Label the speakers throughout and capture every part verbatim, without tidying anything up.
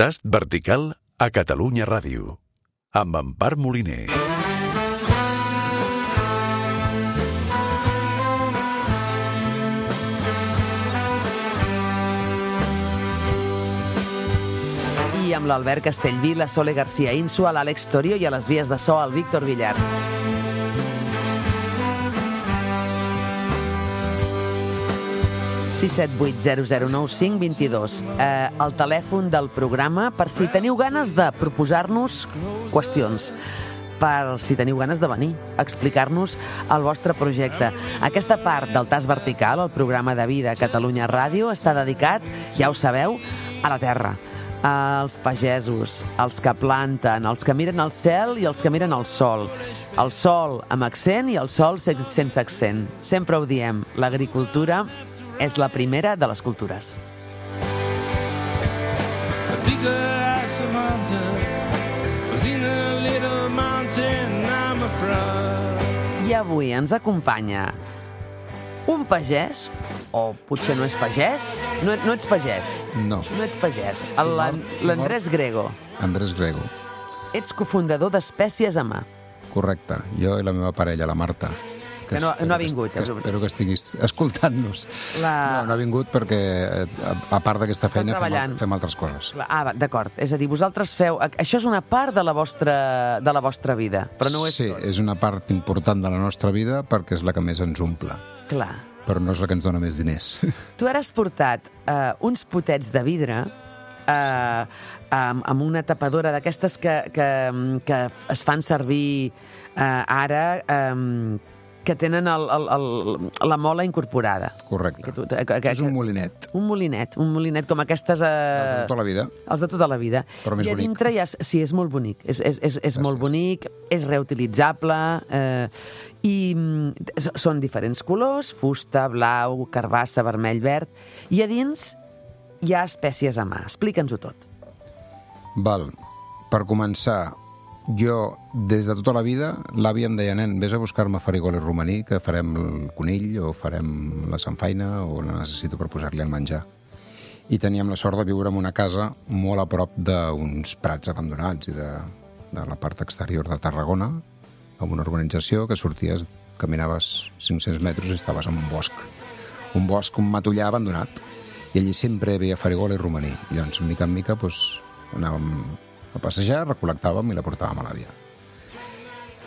Speaker 1: Tast vertical a Catalunya Ràdio, amb Empar Moliner.
Speaker 2: I amb l'Albert Castellví, la Sole García Insua, l'Àlex Torio i a les vies de so el Víctor Villar. sis set vuit zero zero nou cinc dos dos. Eh, el telèfon del programa per si teniu ganes de proposar-nos qüestions, per si teniu ganes de venir a explicar-nos el vostre projecte. Aquesta part del Tast Vertical, el programa de vida a Catalunya Ràdio, està dedicat, ja ho sabeu, a la terra, als pagesos, als que planten, els que miren al cel i els que miren al sol. El sol amb accent i el sol sense accent. Sempre ho diem, l'agricultura és la primera de les cultures. I avui ens acompanya un pagès, o potser no és pagès, no, no ets pagès.
Speaker 3: No.
Speaker 2: No ets pagès. L'Andrés Grego.
Speaker 3: Andrés Grego.
Speaker 2: Ets cofundador d'Espècies a Mà.
Speaker 3: Correcte. Jo i la meva parella, la Marta.
Speaker 2: Que no, no ha vingut.
Speaker 3: Que espero que estiguis escoltant-nos. La... No, no ha vingut perquè, a, a part d'aquesta feina, fem, fem altres coses.
Speaker 2: Ah, d'acord. És a dir, vosaltres feu... Això és una part de la vostra, de la vostra vida, però no ho és
Speaker 3: sí,
Speaker 2: tot.
Speaker 3: Sí, és una part important de la nostra vida perquè és la que més ens omple.
Speaker 2: Clar.
Speaker 3: Però no és la que ens dona més diners.
Speaker 2: Tu ara has portat uh, uns potets de vidre uh, amb, amb una tapadora d'aquestes que, que, que es fan servir uh, ara... Um, que tenen el, el, el, la mola incorporada.
Speaker 3: Correcte.
Speaker 2: Que tu, que, que,
Speaker 3: és un molinet.
Speaker 2: Un molinet, un molinet com aquestes... Eh...
Speaker 3: Els de tota la vida.
Speaker 2: Els de tota la vida.
Speaker 3: Però més
Speaker 2: I a
Speaker 3: bonic.
Speaker 2: dintre hi ha... Sí, és molt bonic. És, és, és, és molt bonic, és reutilitzable, eh, i són diferents colors, fusta, blau, carbassa, vermell, verd, i a dins hi ha espècies a mà. Explica'ns-ho tot.
Speaker 3: Val. Per començar... Jo, des de tota la vida, l'àvia em deia, nen, vés a buscar-me farigoles romaní, que farem el conill, o farem la samfaina, o la necessito per posar-li el menjar. I teníem la sort de viure en una casa molt a prop d'uns prats abandonats i de, de la part exterior de Tarragona, amb una urbanització que sorties, caminaves cinc-cents metres i estaves en un bosc. Un bosc, un matollar abandonat. I allí sempre hi havia farigola i romaní. I llavors, mica en mica, doncs, anàvem a passejar, recol·lectàvem i la portàvem a l'àvia.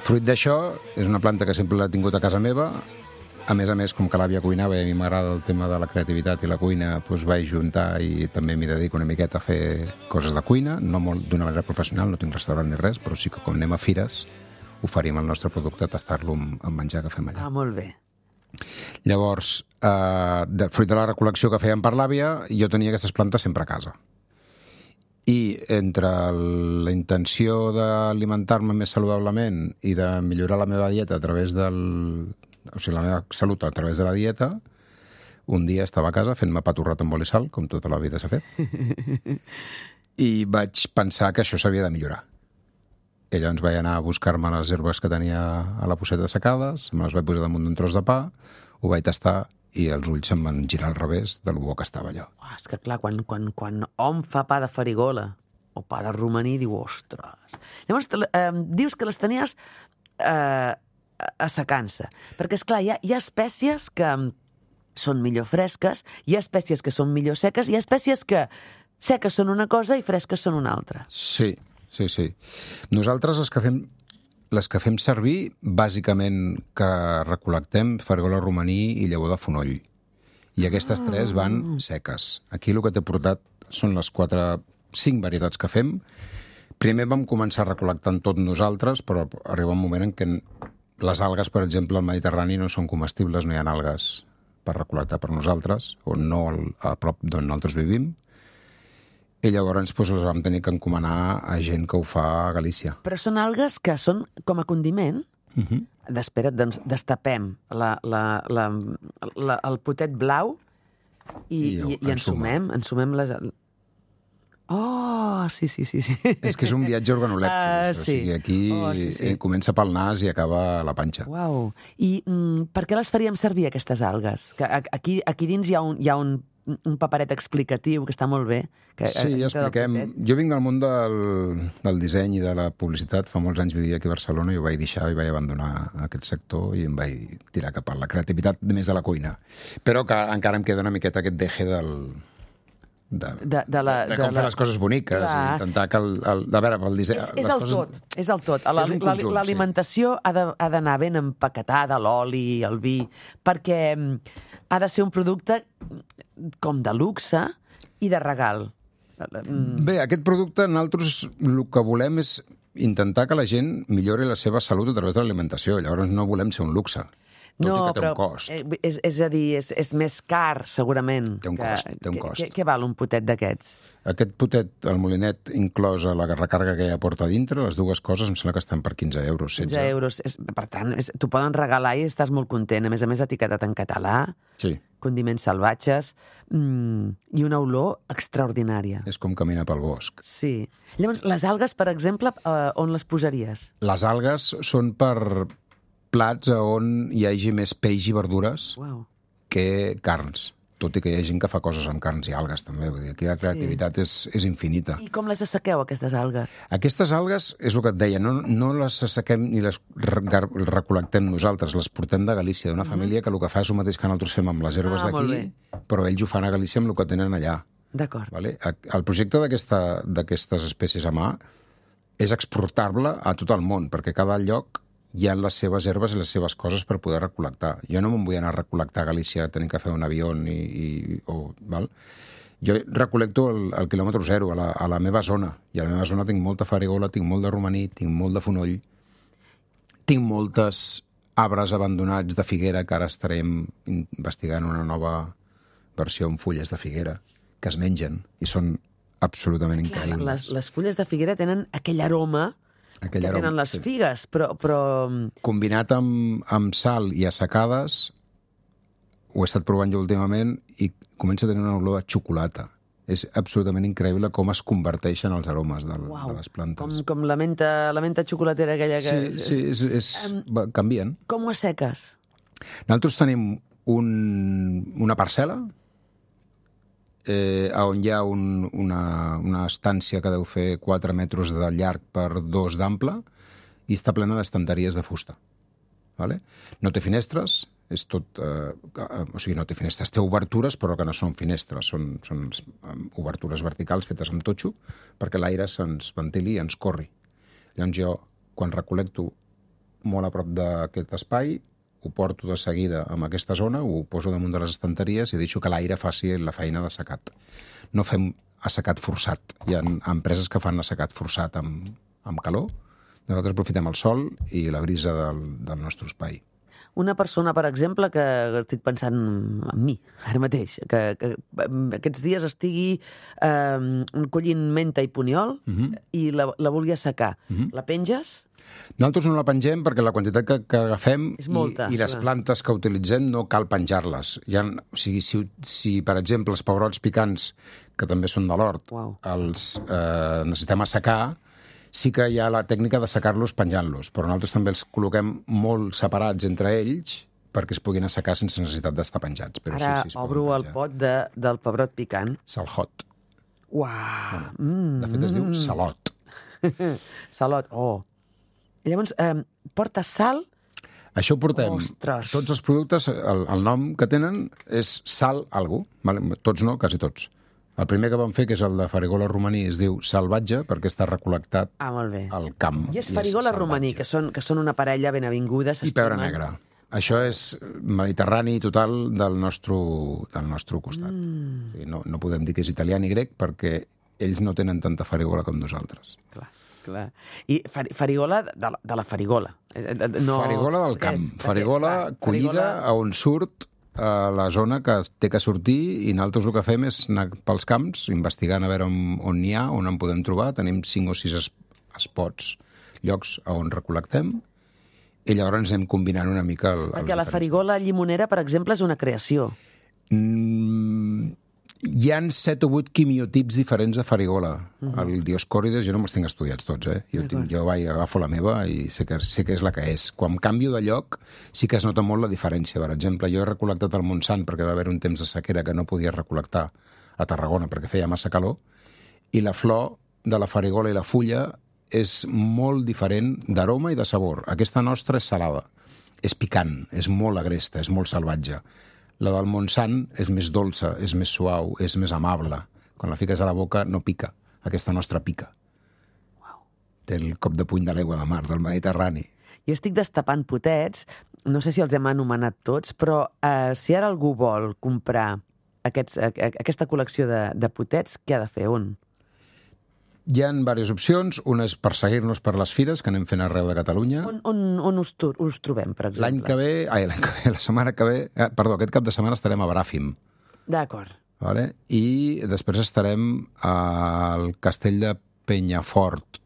Speaker 3: Fruit d'això, és una planta que sempre l'he tingut a casa meva. A més a més, com que l'àvia cuinava i a mi m'agrada el tema de la creativitat i la cuina, doncs vaig juntar i també m'hi dedico una miqueta a fer coses de cuina, no molt d'una manera professional, no tinc restaurant ni res, però sí que quan anem a fires oferim el nostre producte a tastar-lo amb, amb menjar que fem allà.
Speaker 2: Ah, molt bé.
Speaker 3: Llavors, eh, de, fruit de la recol·lecció que fèiem per l'àvia, jo tenia aquestes plantes sempre a casa. I entre la intenció d'alimentar-me més saludablement i de millorar la meva dieta a través del... o sigui, la meva salut a través de la dieta, un dia estava a casa fent-me pa torrat amb oli i sal, com tota la vida s'ha fet, i vaig pensar que això s'havia de millorar. I llavors vaig anar a buscar-me les herbes que tenia a la posseta secades, me les vaig posar damunt d'un tros de pa, ho vaig tastar, i els ulls em van girar al revés de lo bo que estava allò.
Speaker 2: Oh, és que clar, quan, quan, quan hom fa pa de farigola o pa de romaní, diu, ostres. Llavors, eh, dius que les tenies eh, assecant-se. Perquè, esclar, hi ha, hi ha espècies que són millor fresques, hi ha espècies que són millor seques, hi ha espècies que seques són una cosa i fresques són una altra.
Speaker 3: Sí, sí, sí. Nosaltres els que fem... Les que fem servir, bàsicament, que recol·lectem farigola romaní i llavor de fonoll. I aquestes ah. tres van seques. Aquí el que t'he portat són les quatre, cinc varietats que fem. Primer vam començar recol·lectant tot nosaltres, però arriba un moment en què les algues, per exemple, al Mediterrani no són comestibles, no hi ha algues per recol·lectar per nosaltres, o no a prop d'on nosaltres vivim. I llavors doncs, les vam tenir que encomanar a gent que ho fa a Galícia.
Speaker 2: Però són algues que són com a condiment?
Speaker 3: Uh-huh.
Speaker 2: Espera't, doncs destapem la, la, la, la, el potet blau i, I, i, i ensumem, ensumem les... Oh, sí, sí, sí. sí.
Speaker 3: És que és un viatge organolèptic.
Speaker 2: Uh,
Speaker 3: o
Speaker 2: sí.
Speaker 3: sigui, aquí
Speaker 2: oh, sí, sí.
Speaker 3: Eh, comença pel nas i acaba a la panxa.
Speaker 2: Uau. I mm, per què les faríem servir, aquestes algues? Que aquí, aquí dins hi ha un, hi ha un un paperet explicatiu, que està molt bé. Que,
Speaker 3: Sí, ja expliquem. Jo vinc del món del, del disseny i de la publicitat. Fa molts anys vivia aquí a Barcelona i ho vaig deixar i vaig abandonar aquest sector i em vaig tirar cap a la creativitat més de la cuina. Però que encara em queda una miqueta aquest deje del... De,
Speaker 2: de, de, la,
Speaker 3: de com
Speaker 2: de
Speaker 3: fer
Speaker 2: la...
Speaker 3: les coses boniques
Speaker 2: Clar.
Speaker 3: i intentar que el... el de veure, pel disseny...
Speaker 2: És, és el
Speaker 3: coses...
Speaker 2: tot, és el tot. La-
Speaker 3: És un
Speaker 2: la-
Speaker 3: conjunt,
Speaker 2: L'alimentació ha de- ha d'anar ben empaquetada, l'oli, el vi, perquè mm, ha de ser un producte com de luxe i de regal. Mm,
Speaker 3: Bé, aquest producte, nosaltres el que volem és intentar que la gent millori la seva salut a través de l'alimentació. Llavors no volem ser un luxe, tot
Speaker 2: no,
Speaker 3: i que té
Speaker 2: però,
Speaker 3: un cost.
Speaker 2: eh, és, és a dir, és, és més car, segurament.
Speaker 3: Té un
Speaker 2: que-
Speaker 3: cost, té un
Speaker 2: que-
Speaker 3: cost.
Speaker 2: Què, què val un potet d'aquests?
Speaker 3: Aquest potet, el molinet, inclòs a la recàrrega que ja porta a dintre, les dues coses em sembla que estan per quinze euros, setze.
Speaker 2: quinze euros. És, per tant, és, t'ho poden regalar i estàs molt content. A més a més, etiquetat en català,
Speaker 3: Sí,
Speaker 2: condiments salvatges, mm, i una olor extraordinària.
Speaker 3: és com caminar pel bosc.
Speaker 2: Sí. Llavors, les algues, per exemple, eh, on les posaries?
Speaker 3: Les algues són per plats on hi hagi més peix i verdures
Speaker 2: Uau.
Speaker 3: que carns. Tot i que hi ha gent que fa coses amb carns i algues, també. Vull dir, aquí la creativitat és, és infinita.
Speaker 2: I com les assequeu, aquestes algues?
Speaker 3: Aquestes algues, és el que et deia, no, no les assequem ni les re- gar- recol·lectem nosaltres, les portem de Galícia, d'una família que el que fa és el mateix que nosaltres fem amb les herbes
Speaker 2: Ah, molt
Speaker 3: d'aquí, però ells ho fan a Galícia amb el que tenen allà.
Speaker 2: D'acord.
Speaker 3: Vale? El projecte d'aquesta- d'aquestes espècies a mà és exportar-la a tot el món, perquè cada lloc hi ha les seves herbes i les seves coses per poder recol·lectar. Jo no me'n vull anar a recol·lectar a Galícia tenint que fer un avió i... i o, val? Jo recol·lecto el, el quilòmetre zero, a la, a la meva zona. I a la meva zona tinc molta farigola, tinc molt de romaní, tinc molt de fonoll, tinc moltes arbres abandonats de figuera, que ara estarem investigant una nova versió amb fulles de figuera, que es mengen i són absolutament
Speaker 2: Clar,
Speaker 3: increïbles.
Speaker 2: les, les fulles de figuera tenen aquell aroma
Speaker 3: Aquell
Speaker 2: que
Speaker 3: aroma,
Speaker 2: tenen les
Speaker 3: sí.
Speaker 2: figues, però... però...
Speaker 3: Combinat amb, amb sal i assecades, ho he estat provant jo últimament i comença a tenir una olor de xocolata. És absolutament increïble com es converteixen els aromes del,
Speaker 2: Uau,
Speaker 3: de les plantes.
Speaker 2: com, com la menta, la menta xocolatera aquella que...
Speaker 3: Sí, sí, és, és, va, canvien.
Speaker 2: Com ho asseques?
Speaker 3: Nosaltres tenim un, una parcel·la eh, on hi ha un, una, una estància que deu fer quatre metres de llarg per dos d'ample i està plena d'estanteries de fusta. Vale? No té finestres, és tot... Eh, o sigui, no té finestres, té obertures, però que no són finestres, són, són obertures verticals fetes amb totxo perquè l'aire se'ns ventili i ens corri. Llavors jo, quan recol·lecto molt a prop d'aquest espai, ho porto de seguida en aquesta zona, ho poso damunt de les estanteries i deixo que l'aire faci la feina d'assecat. No fem assecat forçat. Hi ha empreses que fan assecat forçat amb, amb calor. Nosaltres aprofitem el sol i la brisa del, del nostre espai.
Speaker 2: Una persona, per exemple, que estic pensant en mi, ara mateix, que, que aquests dies estigui eh, collint menta i puniol
Speaker 3: Mhm.
Speaker 2: i la, la vulgui assecar.
Speaker 3: Mhm.
Speaker 2: La penges?
Speaker 3: Nosaltres no la pengem perquè la quantitat que, que agafem
Speaker 2: És molta,
Speaker 3: i, i les
Speaker 2: clar.
Speaker 3: plantes que utilitzem no cal penjar-les. Hi ha, o sigui, si, si, per exemple, els pebrots picants, que també són de l'hort,
Speaker 2: Uau.
Speaker 3: els eh, necessitem assecar, sí que hi ha la tècnica d'assecar-los penjant-los, però nosaltres també els col·loquem molt separats entre ells perquè es puguin assecar sense necessitat d'estar penjats. Però
Speaker 2: Ara
Speaker 3: sí, sí, es poden
Speaker 2: obro el
Speaker 3: penjar.
Speaker 2: pot de, del pebrot picant.
Speaker 3: Salhot.
Speaker 2: Uau!
Speaker 3: De fet, es diu salot.
Speaker 2: Salot, oh. I llavors, eh, porta sal...
Speaker 3: Això ho portem.
Speaker 2: Ostres.
Speaker 3: Tots els productes, el, el nom que tenen és sal algú. Vale? Tots no, quasi tots. El primer que vam fer, que és el de farigola romaní, es diu salvatge, perquè està recol·lectat
Speaker 2: Ah, molt bé.
Speaker 3: al camp.
Speaker 2: I és farigola
Speaker 3: salvatge.
Speaker 2: romaní, que són, que són una parella ben avinguda.
Speaker 3: I pebre
Speaker 2: s'estimen.
Speaker 3: negre. Això és mediterrani total del nostre, del nostre costat.
Speaker 2: Mm.
Speaker 3: O sigui, no, no podem dir que és italià ni grec perquè ells no tenen tanta farigola com nosaltres.
Speaker 2: Clar, clar. I far, farigola de la, de la farigola. Eh, eh, No,
Speaker 3: Farigola del camp.
Speaker 2: Eh,
Speaker 3: Farigola
Speaker 2: clar,
Speaker 3: collida a on surt a la zona que té que sortir i nosaltres el que fem és anar pels camps investigant a veure on, on n'hi ha, on en podem trobar. Tenim cinc o sis es, spots, llocs on recol·lectem i llavors anem combinant una mica el,
Speaker 2: Perquè la farigola llimonera, per exemple, és una creació.
Speaker 3: Mm, Hi han set o vuit quimiotips diferents de farigola. Uh-huh. El Dioscòrides jo no me'ls tinc estudiats tots, eh? Jo, tinc, jo vaig, agafo la meva i sé que, sé que és la que és. Quan canvio de lloc sí que es nota molt la diferència. Per exemple, jo he recol·lectat el Montsant perquè va haver un temps de sequera que no podia recol·lectar a Tarragona perquè feia massa calor, i la flor de la farigola i la fulla és molt diferent d'aroma i de sabor. Aquesta nostra és salada, és picant, és molt agresta, és molt salvatge. La del Montsant és més dolça, és més suau, és més amable. Quan la fiques a la boca no pica. Aquesta nostra pica.
Speaker 2: Wow.
Speaker 3: Té el cop de puny de l'aigua de mar, del Mediterrani.
Speaker 2: Jo estic destapant potets, no sé si els hem anomenat tots, però eh, si ara algú vol comprar aquests, a, a, aquesta col·lecció de, de potets, què ha de fer? On?
Speaker 3: Hi ha diverses opcions. Una és per seguir-nos per les fires, que anem fent arreu de Catalunya.
Speaker 2: On, on, on us, us trobem, per exemple?
Speaker 3: L'any que ve, ai, l'any que ve, la setmana que ve, eh, perdó, aquest cap de setmana estarem a Bràfim.
Speaker 2: D'acord.
Speaker 3: Vale? I després estarem al castell de Penyafort.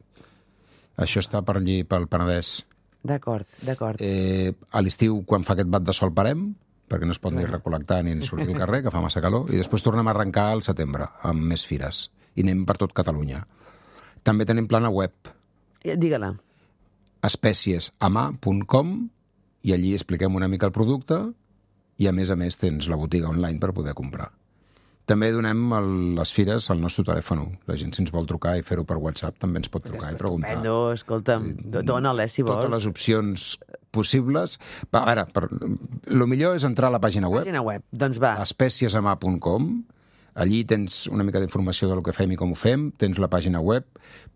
Speaker 3: Això està per allí, pel Penedès.
Speaker 2: D'acord, d'acord.
Speaker 3: Eh, a l'estiu, quan fa aquest bat de sol, parem, perquè no es pot ni recol·lectar ni sortir al carrer, que fa massa calor, i després tornem a arrencar al setembre, amb més fires. I anem per tot Catalunya. També tenim plana web.
Speaker 2: Digue-la.
Speaker 3: espèciesama punt com, i allí expliquem una mica el producte i, a més a més, tens la botiga online per poder comprar. També donem el, les fires al nostre telèfon. La gent, si ens vol trucar i fer-ho per WhatsApp, també ens pot trucar i preguntar.
Speaker 2: Estupendo, escolta'm, dóna-la, si vols.
Speaker 3: Totes les opcions possibles. Va, a veure, per, el millor és entrar a la pàgina web.
Speaker 2: Pàgina web, doncs va.
Speaker 3: espèciesama punt com. Allí tens una mica d'informació del que fem i com ho fem, tens la pàgina web,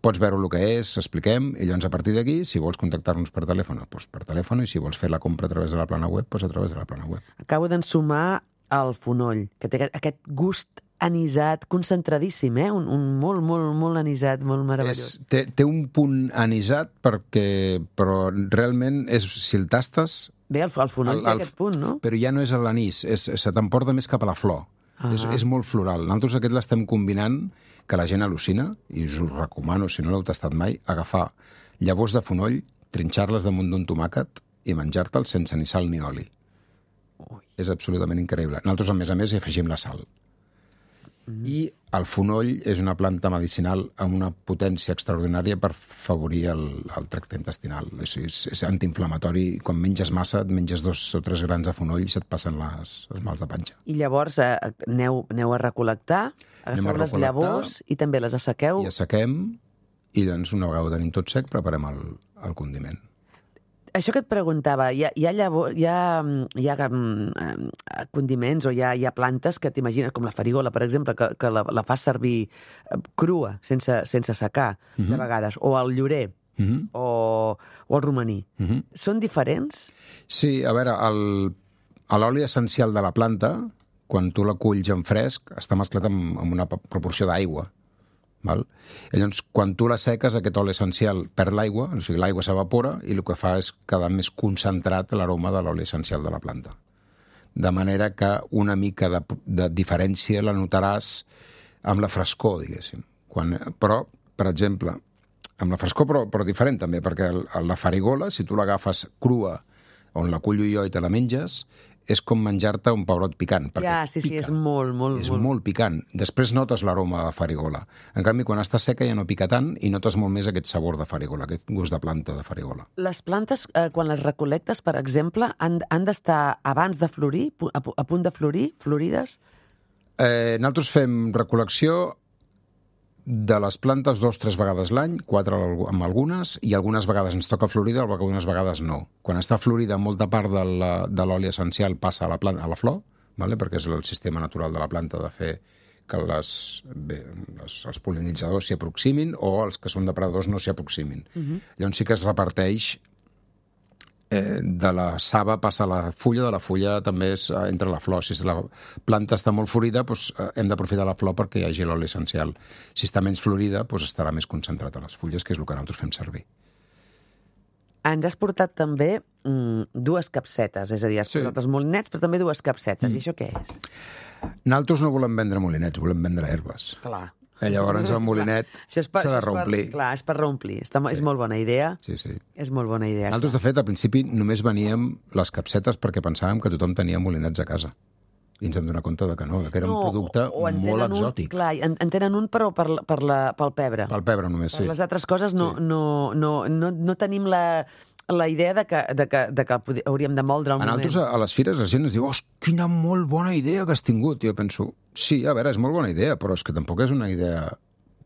Speaker 3: pots veure el que és, expliquem, i llavors a partir d'aquí, si vols contactar-nos per telèfon, doncs per telèfon, i si vols fer la compra a través de la plana web, doncs a través de la plana web.
Speaker 2: Acabo d'ensumar el fonoll, que té aquest, aquest gust anisat, concentradíssim, eh? Un, un molt, molt, molt anisat, molt meravellós.
Speaker 3: És, té, té un punt anisat, perquè, però realment, és, si el tastes...
Speaker 2: Bé, el, el fonoll el, el, té aquest punt, no?
Speaker 3: Però ja no és l'anís, és, se t'emporta més cap a la flor. Uh -huh. és, és molt floral. Nosaltres aquest l'estem combinant, que la gent al·lucina, i us ho recomano, si no l'heu tastat mai, agafar llavors de fonoll, trinxar-les damunt d'un tomàquet i menjar-te'ls sense ni sal ni oli. Ui. És absolutament increïble. Nosaltres, a més a més, hi afegim la sal. Mm. I el fonoll és una planta medicinal amb una potència extraordinària per favorir el, el tracte intestinal. És, és, és antiinflamatori. Quan menges massa, et menges dos o tres grans de fonoll i se't passen les, els mals de panxa.
Speaker 2: I llavors eh, aneu, aneu a recol·lectar, agafeu les llavors i també les assequeu.
Speaker 3: I assequem, i doncs una vegada ho tenim tot sec, preparem el, el condiment.
Speaker 2: Això que et preguntava, hi ha, hi ha, llavor, hi ha, hi ha um, condiments o hi ha, hi ha plantes que t'imagines, com la farigola, per exemple, que, que la, la fas servir crua, sense, sense secar, uh-huh. de vegades, o el llorer, uh-huh. o, o el romaní. Uh-huh. Són diferents?
Speaker 3: Sí, a veure, el, l'oli essencial de la planta, quan tu la culls en fresc, està mesclat amb, amb una proporció d'aigua. Val? I llavors, quan tu la seques, aquest oli essencial perd l'aigua, o sigui, l'aigua s'evapora i el que fa és quedar més concentrat l'aroma de l'oli essencial de la planta. De manera que una mica de, de diferència la notaràs amb la frescor, diguéssim. Quan, però, per exemple, amb la frescor, però, però diferent també, perquè el, la farigola, si tu l'agafes crua, on la cullo jo i te la menges, és com menjar-te un pebrot picant.
Speaker 2: Ja, sí, sí,
Speaker 3: pica.
Speaker 2: és molt, molt...
Speaker 3: És
Speaker 2: molt,
Speaker 3: molt picant. Després notes l'aroma de farigola. En canvi, quan està seca ja no pica tant i notes molt més aquest sabor de farigola, aquest gust de planta de farigola.
Speaker 2: Les plantes, eh, quan les recol·lectes, per exemple, han, han d'estar abans de florir, a, a punt de florir, florides?
Speaker 3: Eh, nosaltres fem recol·lecció de les plantes dos o tres vegades l'any, quatre amb algunes, i algunes vegades ens toca florida, algunes vegades no. Quan està florida, molta part de l'oli essencial passa a la, planta, a la flor, vale? Perquè és el sistema natural de la planta de fer que les, bé, les, els pol·linitzadors s'hi aproximin o els que són depredadors no s'hi aproximin. Uh-huh. Llavors sí que es reparteix eh, de la saba passa a la fulla, de la fulla també és eh, entre la flor. Si la planta està molt florida, doncs, eh, hem d'aprofitar la flor perquè hi hagi l'oli essencial. Si està menys florida, doncs estarà més concentrat a les fulles, que és el que nosaltres fem servir.
Speaker 2: Ens has portat també mm, dues capsetes, és a dir, has sí. portat els molinets, però també dues capsetes. Mm. I això què és?
Speaker 3: Nosaltres no volem vendre molinets, volem vendre herbes.
Speaker 2: Clar.
Speaker 3: I llavors el molinet s'ha de reomplir.
Speaker 2: Clar, és per reomplir. Està, sí. És molt bona idea.
Speaker 3: Sí, sí.
Speaker 2: És molt bona idea.
Speaker 3: Nosaltres, de fet, al principi només veníem les capsetes perquè pensàvem que tothom tenia molinets a casa. I ens hem donat compte de que no, que era
Speaker 2: no,
Speaker 3: un producte
Speaker 2: o, o
Speaker 3: molt
Speaker 2: un,
Speaker 3: exòtic.
Speaker 2: Clar, en, en tenen un, però per, per la, pel pebre.
Speaker 3: Pel pebre només, sí.
Speaker 2: Per les altres coses no,
Speaker 3: Sí.
Speaker 2: no, no, no, no tenim la, la idea de que, de que, de que podi- hauríem de moldre un
Speaker 3: A nosaltres,
Speaker 2: moment.
Speaker 3: a les fires, la gent ens diu, oh, quina molt bona idea que has tingut. I jo penso, sí, a veure, és molt bona idea, però és que tampoc és una idea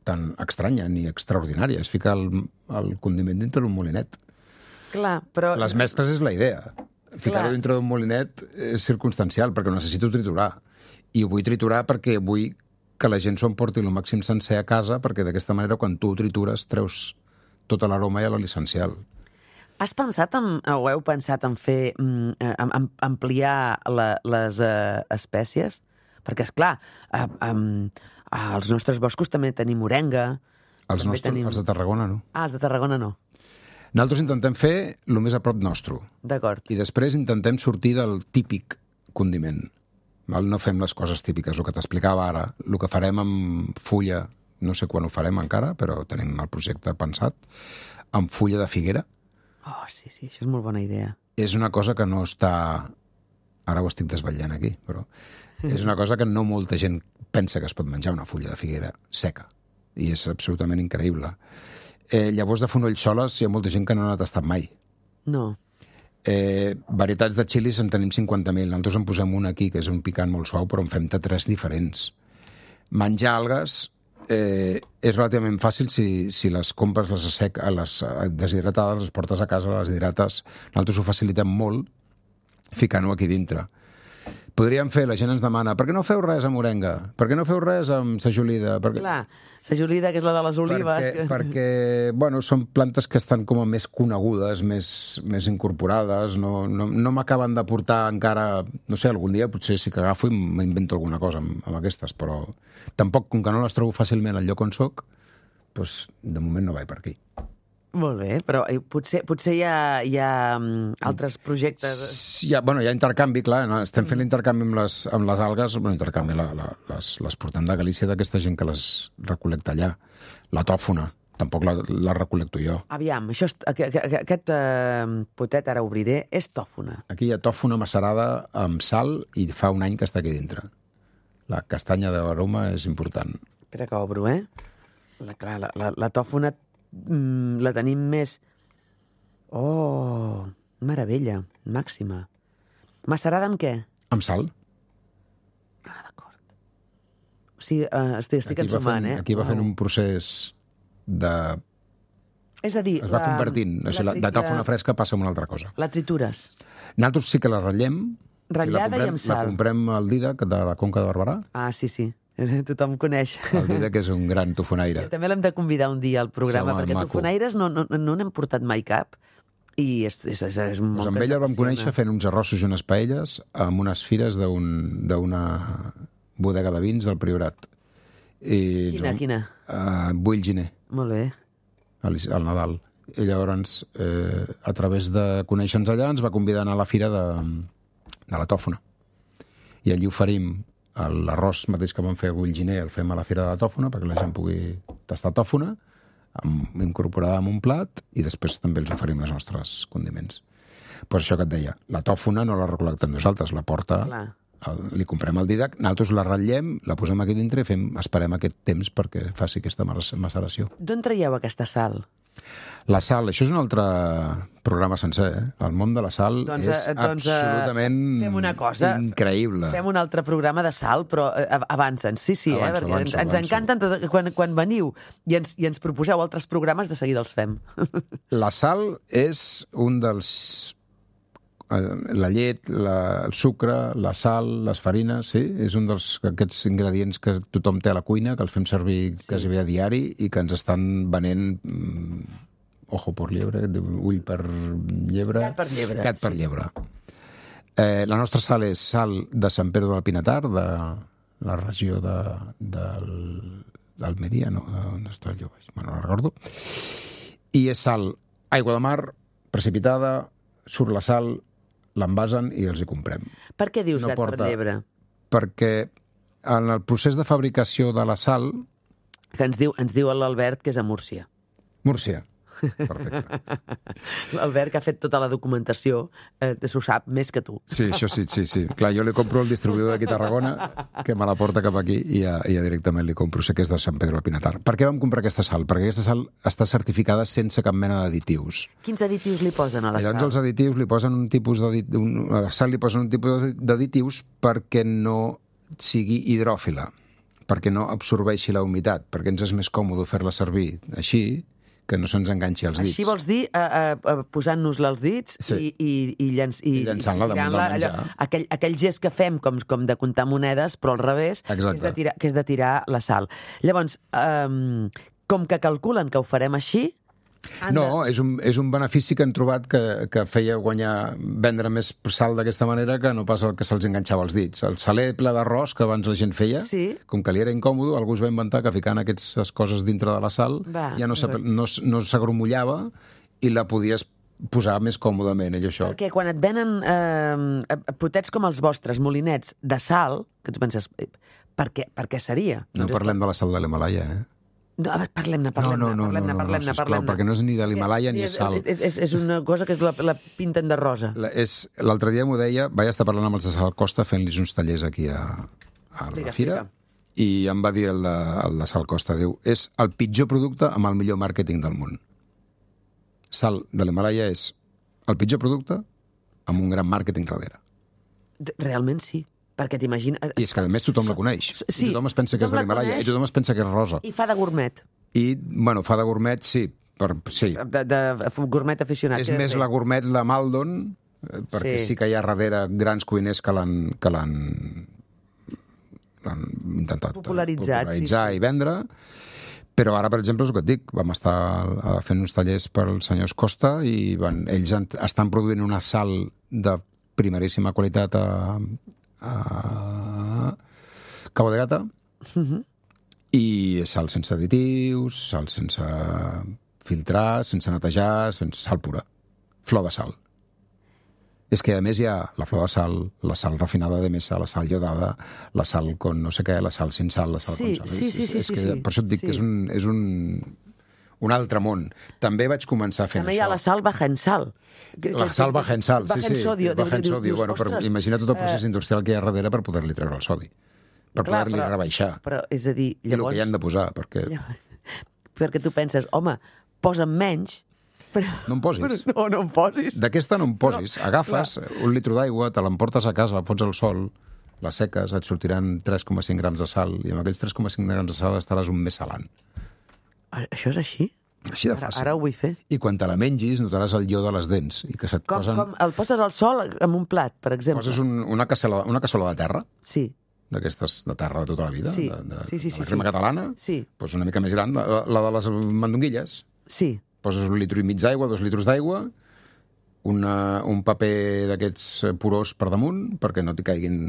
Speaker 3: tan estranya ni extraordinària. És ficar el, el condiment dintre d'un molinet.
Speaker 2: Clar, però...
Speaker 3: Les mescles és la idea. Ficar-ho
Speaker 2: Clar.
Speaker 3: dintre d'un molinet és circumstancial, perquè ho necessito triturar. I ho vull triturar perquè vull que la gent s'ho emporti el màxim sencer a casa, perquè d'aquesta manera, quan tu ho tritures, treus tota l'aroma i l'essencial.
Speaker 2: Has pensat en, o heu pensat en fer, mm, en, en ampliar la, les uh, espècies? Perquè, esclar, uh, um, als nostres boscos també tenim morenga.
Speaker 3: Els,
Speaker 2: també
Speaker 3: nostres,
Speaker 2: tenim...
Speaker 3: els de Tarragona, no.
Speaker 2: Ah, els de Tarragona no.
Speaker 3: Nosaltres intentem fer el més a prop nostre.
Speaker 2: D'acord.
Speaker 3: I després intentem sortir del típic condiment. Val? No fem les coses típiques, el que t'explicava ara. El que farem amb fulla, no sé quan ho farem encara, però tenim el projecte pensat, amb fulla de figuera.
Speaker 2: Oh, sí, sí, això és molt bona idea.
Speaker 3: És una cosa que no està... Ara ho estic desvetllant aquí, però és una cosa que no molta gent pensa que es pot menjar, una fulla de figuera seca. I és absolutament increïble. Eh, llavors de fonoll soles hi ha molta gent que no n'ha tastat mai.
Speaker 2: No.
Speaker 3: Eh, varietats de xilis en tenim cinquanta mil. Nosaltres en posem un aquí, que és un picant molt suau, però en fem de tres diferents. Menjar algues eh, és relativament fàcil si, si les compres, les, sec, les deshidratades, les portes a casa, les hidrates. Nosaltres ho facilitem molt ficant-ho aquí dintre. Podríem fer, la gent ens demana, per què no feu res amb morenga? Per què no feu res amb sajolida? Perquè...
Speaker 2: Clar, sajolida, que és la de les olives.
Speaker 3: Perquè,
Speaker 2: que...
Speaker 3: perquè bueno, són plantes que estan com a més conegudes, més, més incorporades, no, no, no m'acaben de portar encara... No sé, algun dia potser sí que agafo i m'invento alguna cosa amb, amb aquestes, però tampoc, com que no les trobo fàcilment al lloc on soc, doncs de moment no vaig per aquí.
Speaker 2: Molt bé, però eh, potser, potser hi ha, hi ha um, altres projectes...
Speaker 3: Sí, hi ha, bueno, hi ha intercanvi, clar, no? Estem fent l'intercanvi amb les, amb les algues, bueno, intercanvi, la, la, les, les portem de Galícia d'aquesta gent que les recolecta allà. La tòfona, tampoc la, la recolecto jo.
Speaker 2: Aviam, això és, aquest, aquest uh, potet, ara obriré, és tòfona.
Speaker 3: Aquí hi ha tòfona macerada amb sal i fa un any que està aquí dintre. La castanya d'aroma és important.
Speaker 2: Espera que obro, eh? La, clar, la, la, la tòfona mm, la tenim més... Oh, meravella, màxima. Macerada amb què?
Speaker 3: Amb sal.
Speaker 2: Ah, d'acord. O sigui, uh, estic, estic
Speaker 3: Aquí va
Speaker 2: ensumant,
Speaker 3: fent,
Speaker 2: eh?
Speaker 3: aquí va fent
Speaker 2: Wow.
Speaker 3: un procés de...
Speaker 2: És a dir,
Speaker 3: Es va
Speaker 2: la,
Speaker 3: convertint. O sigui, la, de tòfona fresca passa a una altra cosa.
Speaker 2: La tritures.
Speaker 3: Nosaltres sí que la ratllem.
Speaker 2: Ratllada
Speaker 3: la comprem,
Speaker 2: i amb sal.
Speaker 3: La comprem al Didac, de la Conca de Barberà.
Speaker 2: Ah, sí, sí. Tothom coneix.
Speaker 3: El Didac és un gran tofonaire.
Speaker 2: També l'hem de convidar un dia al programa,
Speaker 3: Sí, home,
Speaker 2: perquè
Speaker 3: maco.
Speaker 2: tofonaires no no, no n'hem portat mai cap. I és, és, és, és molt
Speaker 3: Pues amb
Speaker 2: que
Speaker 3: ella el vam
Speaker 2: ens apasiona.
Speaker 3: conèixer fent uns arrossos i unes paelles amb unes fires d'un- d'una bodega de vins del Priorat. I
Speaker 2: Quina, quina?
Speaker 3: Uh, Bull Giner,
Speaker 2: Molt bé.
Speaker 3: al, al Nadal. I llavors, eh, a través de conèixer-nos allà, ens va convidar a anar a la fira de, de la tòfona. I allí oferim l'arròs mateix que vam fer a Bull Giner, el fem a la fira de la tòfona, perquè la gent pugui tastar tòfona, amb, incorporada en un plat, i després també els oferim els nostres condiments. Pues això que et deia, la tòfona no la recolectem nosaltres, la porta,
Speaker 2: Clar.
Speaker 3: el, li comprem el Didac, nosaltres la ratllem, la posem aquí dintre i fem, esperem aquest temps perquè faci aquesta maceració.
Speaker 2: D'on traieu aquesta sal?
Speaker 3: La sal, això és un altre programa sencer, eh? El món de la sal
Speaker 2: Doncs,
Speaker 3: és
Speaker 2: eh, doncs, eh,
Speaker 3: absolutament
Speaker 2: fem una cosa.
Speaker 3: increïble.
Speaker 2: Fem un altre programa de sal, però eh, avancen. Sí, sí,
Speaker 3: Avanço,
Speaker 2: eh? Perquè
Speaker 3: avanço,
Speaker 2: ens, ens
Speaker 3: avanço.
Speaker 2: encanten tot, quan, quan veniu i ens, i ens proposeu altres programes, de seguida els fem.
Speaker 3: La sal és un dels... eh, La llet, la, el sucre, la sal, les farines, sí? És un dels aquests ingredients que tothom té a la cuina, que els fem servir sí. quasi bé a diari i que ens estan venent mm, ojo per llebre, ull per llebre...
Speaker 2: Gat per llebre,
Speaker 3: Gat per
Speaker 2: sí.
Speaker 3: llebre. Eh, la nostra sal és sal de Sant Pere del Pinatar, de la regió de, del, d'Almeria, no? On està jo? Bueno, no recordo. I és sal, aigua de mar, precipitada, surt la sal, l'envasen i els hi comprem.
Speaker 2: Per què dius
Speaker 3: No
Speaker 2: gat
Speaker 3: porta-
Speaker 2: per llebre?
Speaker 3: Perquè en el procés de fabricació de la sal,
Speaker 2: Que ens diu, ens diu l'Albert que és a Múrcia.
Speaker 3: Múrcia, Perfecte.
Speaker 2: L'Albert, que ha fet tota la documentació, eh, s'ho sap més que tu.
Speaker 3: Sí, això sí, sí, sí. Clar, jo li compro el distribuïdor d'aquí a Tarragona, que me la porta cap aquí, i ja, i ja directament li compro. Sé que és de Sant Pedro del Pinatar. Per què vam comprar aquesta sal? Perquè aquesta sal està certificada sense cap mena d'additius.
Speaker 2: Quins additius li posen a la
Speaker 3: I llavors
Speaker 2: sal?
Speaker 3: els additius li posen un tipus d'additius, a la sal li posen un tipus d'additius perquè no sigui hidròfila, perquè no absorbeixi la humitat, perquè ens és més còmode fer-la servir així, que no se'ns enganxi als dits.
Speaker 2: Així vols dir, eh, eh, posant-nos-la als dits
Speaker 3: Sí.
Speaker 2: i, i, i, llenç, i,
Speaker 3: I llançant-la damunt del menjar.
Speaker 2: Aquell, aquell gest que fem com, com de comptar monedes, però al revés, que és, de tirar, que és de tirar la sal. Llavors, eh, com que calculen que ho farem així...
Speaker 3: No, és un, és un benefici que han trobat que, que feia guanyar, vendre més sal d'aquesta manera que no pas el que se'ls enganxava als dits. El saler ple d'arròs que abans la gent feia,
Speaker 2: sí.
Speaker 3: Com que li era incòmode, algú es va inventar que ficant aquestes coses dintre de la sal va, ja no s'agromullava no, no i la podies posar més còmodament, ell, això.
Speaker 2: Perquè quan et venen eh, potets com els vostres, molinets de sal, que tu penses, per què, per què seria?
Speaker 3: No doncs parlem és... de la sal de l'Himalaya, eh?
Speaker 2: No, parlem-ne, parlem-ne,
Speaker 3: no, no,
Speaker 2: parlem-ne,
Speaker 3: no, no,
Speaker 2: parlem-ne,
Speaker 3: no,
Speaker 2: parlem-ne.
Speaker 3: Perquè no és ni de l'Himalaya ni és sal.
Speaker 2: És, és, és una cosa que és la, la pinten de rosa.
Speaker 3: L'altre dia m'ho deia, vaig estar parlant amb els de Sal Costa fent-los uns tallers aquí a, a la Liga, fira, Liga. I em va dir el de, el de Sal Costa, diu, és el pitjor producte amb el millor màrqueting del món. Sal de l'Himalaya és el pitjor producte amb un gran màrqueting darrere.
Speaker 2: Realment sí. Perquè t'imagina...
Speaker 3: I és que, a més, tothom la coneix.
Speaker 2: Sí,
Speaker 3: I tothom es pensa que és de l'Himalaya i tothom es pensa que és rosa.
Speaker 2: I fa de gourmet.
Speaker 3: I, bueno, fa de gourmet, sí. Per, sí.
Speaker 2: De, de, de gourmet aficionat.
Speaker 3: És més la gourmet, la Maldon, perquè sí. sí que hi ha darrere grans cuiners que l'han que l'han intentat
Speaker 2: popularitzar
Speaker 3: sí, sí. i vendre. Però ara, per exemple, és el que et dic, vam estar fent uns tallers per als senyors Costa i van, ells estan produint una sal de primeríssima qualitat a a Cabo de Gata uh-huh. i sal sense additius, sal sense filtrar, sense netejar, sense sal pura, flor de sal. És que a més hi ha la flor de sal, la sal refinada de mesa, la sal iodada, la sal con no sé què, la sal sin sal, la sal
Speaker 2: sí,
Speaker 3: con sal.
Speaker 2: Sí, sí, sí,
Speaker 3: és, és
Speaker 2: sí,
Speaker 3: que,
Speaker 2: sí.
Speaker 3: Per això et dic sí. que és un... És un un altre món. També vaig començar fent
Speaker 2: També
Speaker 3: això.
Speaker 2: També hi ha la sal baja en sal.
Speaker 3: La sal baja en sal, sí, sí.
Speaker 2: Sodio,
Speaker 3: baja en sodio. Bueno, però imagina tot el procés eh... industrial que hi ha darrere per poder-li treure el sodi. Per poder-li rebaixar.
Speaker 2: Però, és a dir, llavors...
Speaker 3: I el que hi han de posar, perquè...
Speaker 2: Perquè tu penses, home, posa'm menys, però...
Speaker 3: No en posis.
Speaker 2: Però no, no en posis.
Speaker 3: D'aquesta no en posis. Però, agafes clar. un litro d'aigua, te l'emportes a casa, la fots al sol, la seques, et sortiran tres coma cinc grams de sal, i amb aquells tres coma cinc grams de sal estaràs un mes salant.
Speaker 2: Això és així?
Speaker 3: Així de fàcil.
Speaker 2: Ara, ara ho vull fer.
Speaker 3: I quan te la mengis notaràs el ió de les dents. I que se't
Speaker 2: com,
Speaker 3: posen...
Speaker 2: com el poses al sol amb un plat, per exemple?
Speaker 3: Poses un, una, cassola, una cassola de terra.
Speaker 2: Sí.
Speaker 3: D'aquestes de terra de tota la vida.
Speaker 2: Sí,
Speaker 3: de, de,
Speaker 2: sí, sí.
Speaker 3: De la
Speaker 2: sí,
Speaker 3: crema
Speaker 2: sí.
Speaker 3: catalana.
Speaker 2: Sí.
Speaker 3: Pues una mica més gran, la, la de les mandonguilles.
Speaker 2: Sí.
Speaker 3: Poses un litro i mig d'aigua, dos litros d'aigua, una, un paper d'aquests porós per damunt, perquè no t'hi caiguin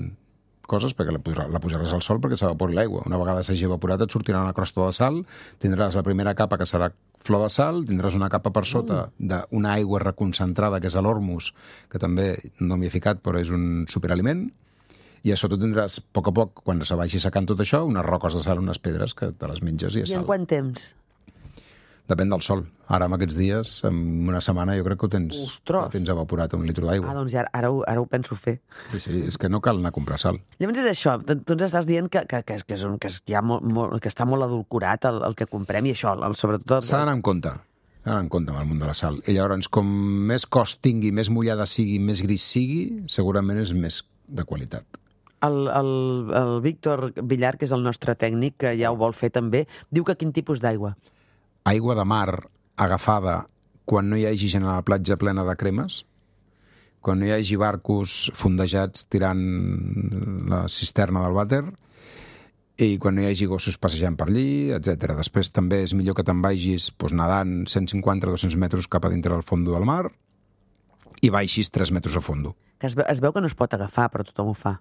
Speaker 3: coses, perquè la, posaràs, la posaràs al sol perquè s'evapori l'aigua. Una vegada s'hagi evaporat et sortirà una crosta de sal, tindràs la primera capa que serà flor de sal, tindràs una capa per sota mm. d'una aigua reconcentrada, que és l'ormus, que també no m'hi he ficat, però és un superaliment, i a sota tindràs, a poc a poc, quan se vagi secant tot això, unes roques de sal, unes pedres, que te les menges i és
Speaker 2: sal. I en quant temps?
Speaker 3: Depèn del sol. Ara, en aquests dies, en una setmana, jo crec que ho tens, ho tens evaporat un litro d'aigua.
Speaker 2: Ah, doncs ja, ara, ho, ara ho penso fer.
Speaker 3: Sí, sí, és que no cal anar a comprar sal.
Speaker 2: Llavors és això, tu ens estàs dient que, que, que, que, és un, que, és, que, ha molt, molt, que està molt adulcorat el, el que comprem i això, el, sobretot...
Speaker 3: S'ha d'anar en compte, s'ha d'anar en compte amb el món de la sal. I llavors, com més cost tingui, més mullada sigui, més gris sigui, segurament és més de qualitat.
Speaker 2: El, el, el Víctor Villar, que és el nostre tècnic, que ja ho vol fer també, diu que quin tipus d'aigua?
Speaker 3: Aigua de mar agafada quan no hi hagi gent a la platja plena de cremes, quan no hi hagi barcos fondejats tirant la cisterna del vàter i quan no hi hagi gossos passejant per allí, etcètera. Després també és millor que te'n vagis doncs, nedant cent cinquanta a dos-cents metres cap a dintre del fondo del mar i baixis tres metres a fondo.
Speaker 2: Que es, es veu que no es pot agafar, però tothom ho fa.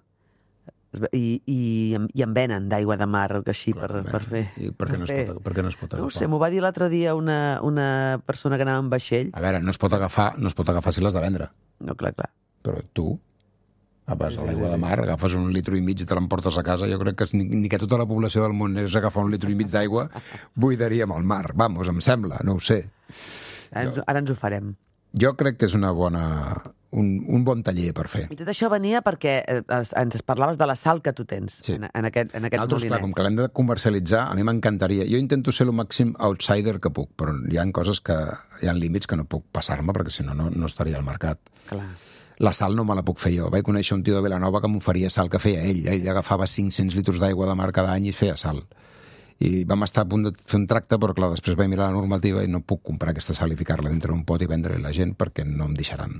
Speaker 2: I, i, i en venen d'aigua de mar així. Clar, per, per fer.
Speaker 3: I per què no, es pot, per què no es pot agafar?
Speaker 2: No ho sé, m'ho va dir l'altre dia una, una persona que anava en vaixell.
Speaker 3: A veure, no es pot agafar, no es pot agafar si l'has de vendre.
Speaker 2: No, clar, clar.
Speaker 3: Però tu vas a l'aigua de mar, agafes un litro i mig i te l'emportes a casa. Jo crec que ni, ni que tota la població del món és agafar un litro i mig d'aigua, buidaríem el mar. Vamos, em sembla, no ho sé.
Speaker 2: Ara ens, ara ens ho farem.
Speaker 3: Jo crec que és una bona, un, un bon taller per fer.
Speaker 2: I tot això venia perquè eh, ens parlaves de la sal que tu tens
Speaker 3: Sí.
Speaker 2: en, en, aquest, en aquests
Speaker 3: Nosaltres, clar,
Speaker 2: molinets.
Speaker 3: com que l'hem de comercialitzar, a mi m'encantaria. Jo intento ser el màxim outsider que puc, però hi ha coses que... Hi ha límits que no puc passar-me, perquè si no, no, no estaria al mercat.
Speaker 2: Clar.
Speaker 3: La sal no me la puc fer jo. Vaig conèixer un tio de Vilanova que m'oferia sal que feia ell. Ell agafava cinc-cents litres d'aigua de mar cada any i feia sal. I vam estar a punt de fer un tracte, però clar, després vaig mirar la normativa i no puc comprar aquesta sal i ficar-la dintre d'un pot i vendre-la a la gent perquè no em deixaran.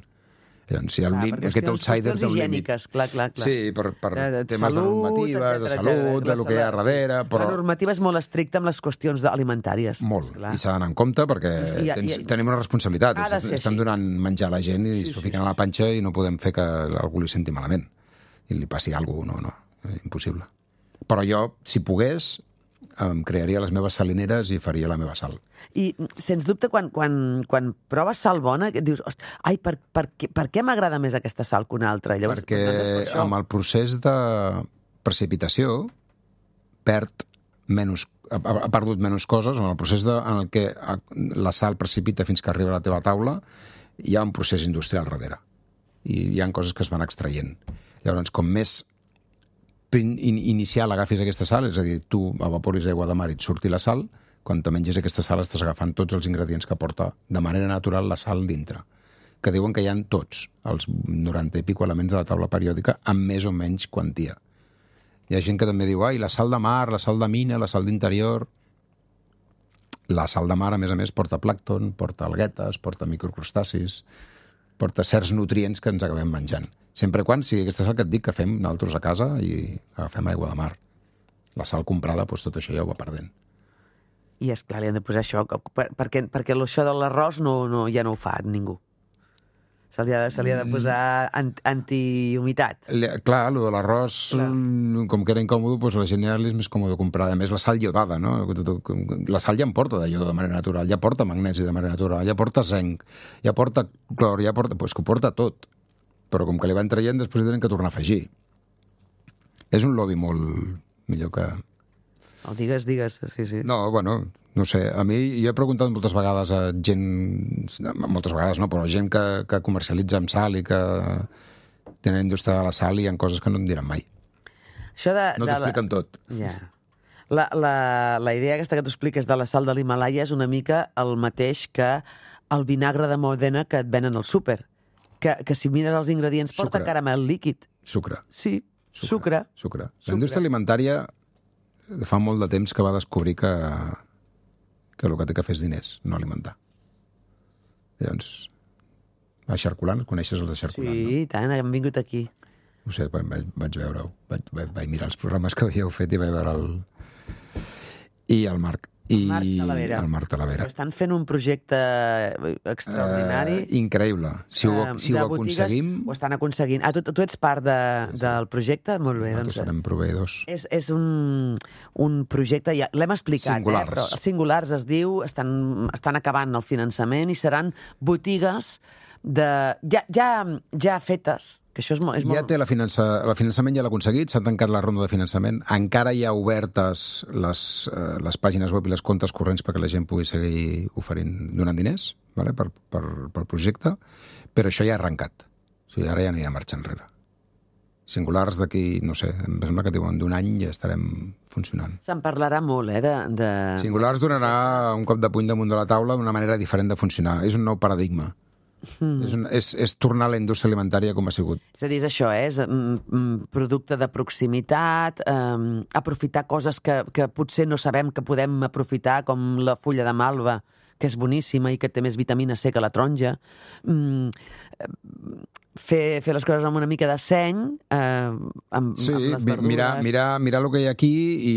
Speaker 3: Llavors, si el
Speaker 2: Clar,
Speaker 3: lim,
Speaker 2: perquè
Speaker 3: aquest
Speaker 2: qüestions-
Speaker 3: outsider
Speaker 2: qüestions
Speaker 3: té un límit.
Speaker 2: higièniques, clar, clar, clar.
Speaker 3: Sí, per, per
Speaker 2: De- de
Speaker 3: temes
Speaker 2: salut,
Speaker 3: de normatives,
Speaker 2: etcètera,
Speaker 3: de
Speaker 2: etcètera.
Speaker 3: salut, de lo que hi ha
Speaker 2: La-
Speaker 3: darrere, però...
Speaker 2: La normativa és molt estricta amb les qüestions alimentàries.
Speaker 3: Molt,
Speaker 2: Clar.
Speaker 3: i s'ha d'anar en compte perquè
Speaker 2: I- i-
Speaker 3: tens,
Speaker 2: i-
Speaker 3: tenim una responsabilitat.
Speaker 2: Ha de ser
Speaker 3: Estem
Speaker 2: així.
Speaker 3: donant menjar a la gent i
Speaker 2: Sí,
Speaker 3: s'ho
Speaker 2: sí,
Speaker 3: fiquen
Speaker 2: sí,
Speaker 3: a la panxa i no podem fer que algú li senti malament i li passi alguna cosa. No, no, impossible. Però jo, si pogués, em crearia les meves salineres i faria la meva sal.
Speaker 2: I, sens dubte, quan, quan, quan proves sal bona, que dius, "Host, ai, per, per, què- per què m'agrada més aquesta sal que una altra?" Llavors,
Speaker 3: Perquè
Speaker 2: doncs és per això.
Speaker 3: amb el procés de precipitació perd menys, ha, ha perdut menys coses, en el procés de, en el que la sal precipita fins que arriba a la teva taula, hi ha un procés industrial darrere. I hi ha coses que es van extraient. Llavors, com més prin- in, inicial agafis aquesta sal, és a dir, tu evaporis aigua de mar i et surti la sal, quan te mengis aquesta sal estàs agafant tots els ingredients que porta de manera natural la sal dintre, que diuen que hi ha tots, els noranta i pico elements de la taula periòdica, amb més o menys quantia. Hi ha gent que també diu, ai, la sal de mar, la sal de mina, la sal d'interior... La sal de mar, a més a més, porta plàncton, porta alguetes, porta microcrustacis, porta certs nutrients que ens acabem menjant. Sempre quan sigui aquesta sal que et dic que fem nosaltres a casa i agafem aigua de mar. La sal comprada, doncs tot això ja ho va perdent.
Speaker 2: I, esclar, li han de posar això, per, perquè, perquè això de l'arròs no, no, ja no ho fa ningú. Se li ha de, se li ha de posar an, antihumitat.
Speaker 3: Le- Clar, el de l'arròs,
Speaker 2: Clar.
Speaker 3: mm, com que era incòmode, doncs la gent ja li és més còmode comprar. A més, la sal iodada, no? La sal ja en porta de iodo de manera natural, ja porta magnesi de manera natural, ja porta zinc, ja porta clor, ja porta... Doncs que ho porta tot. Però com que li van traient, després hi tenen que tornar a afegir. És un lobby molt millor que...
Speaker 2: Oh, digues, digues, sí, sí.
Speaker 3: No, bueno, no sé. A mi, jo he preguntat moltes vegades a gent... Moltes vegades no, però a gent que, que comercialitza amb sal i que tenen indústria de la sal i hi ha coses que no em diran mai.
Speaker 2: Això de,
Speaker 3: No
Speaker 2: de
Speaker 3: t'expliquen tot.
Speaker 2: Ja. La, la, la idea aquesta que tu expliques de la sal de l'Himalaya és una mica el mateix que el vinagre de Modena que et venen al súper. Que, que si mires els ingredients porta
Speaker 3: Sucre.
Speaker 2: caramel líquid.
Speaker 3: Sucre.
Speaker 2: Sí, sucre.
Speaker 3: Sucre.
Speaker 2: Sucre.
Speaker 3: La indústria alimentària fa molt de temps que va descobrir que, que el que té que fer és diners, no alimentar. Llavors, a Xarculant, coneixes els de Xarculant,
Speaker 2: Sí, i tant, hem vingut aquí.
Speaker 3: no? No sé, vaig, vaig veure-ho. Vaig, vaig, vaig mirar els programes que havíeu fet i vaig veure el... I el Marc. I
Speaker 2: Marc Talavera.
Speaker 3: el Marc Talavera.
Speaker 2: Estan fent un projecte extraordinari.
Speaker 3: Eh, increïble. Si ho,
Speaker 2: eh,
Speaker 3: si ho
Speaker 2: de botigues.
Speaker 3: aconseguim,
Speaker 2: Ho estan aconseguint. Ah, tu, tu ets part de, del projecte? Molt bé,
Speaker 3: nosaltres
Speaker 2: doncs...
Speaker 3: serem proveïdors.
Speaker 2: És, és un, un projecte, ja l'hem explicat,
Speaker 3: Singulars.
Speaker 2: eh? Però els singulars es diu, estan, estan acabant el finançament i seran botigues de, ja, ja, ja fetes, que això és molt... És
Speaker 3: Ja
Speaker 2: molt...
Speaker 3: té la finança, el finançament ja l'ha aconseguit, s'ha tancat la ronda de finançament, encara hi ha obertes les, eh, les pàgines web i les comptes corrents perquè la gent pugui seguir oferint, donant diners, vale? per, per, per projecte, però això ja ha arrencat. O sigui, ara ja no hi ha marxa enrere. Singulars d'aquí, no sé, em sembla que diuen d'un any ja estarem funcionant.
Speaker 2: Se'n parlarà molt, eh? De, de...
Speaker 3: Singulars donarà un cop de puny damunt de la taula una manera diferent de funcionar. És un nou paradigma. Mm. És, un, és, és tornar a la indústria alimentària com ha sigut.
Speaker 2: És a dir, és això, eh? És mm, mm, producte de proximitat, eh, aprofitar coses que, que potser no sabem que podem aprofitar, com la fulla de malva, que és boníssima i que té més vitamina C que la taronja. Mm, fer, fer les coses amb una mica de seny, eh, amb,
Speaker 3: Sí,
Speaker 2: amb les
Speaker 3: mi-
Speaker 2: verdures...
Speaker 3: mirar, mirar, mirar el que hi ha aquí i,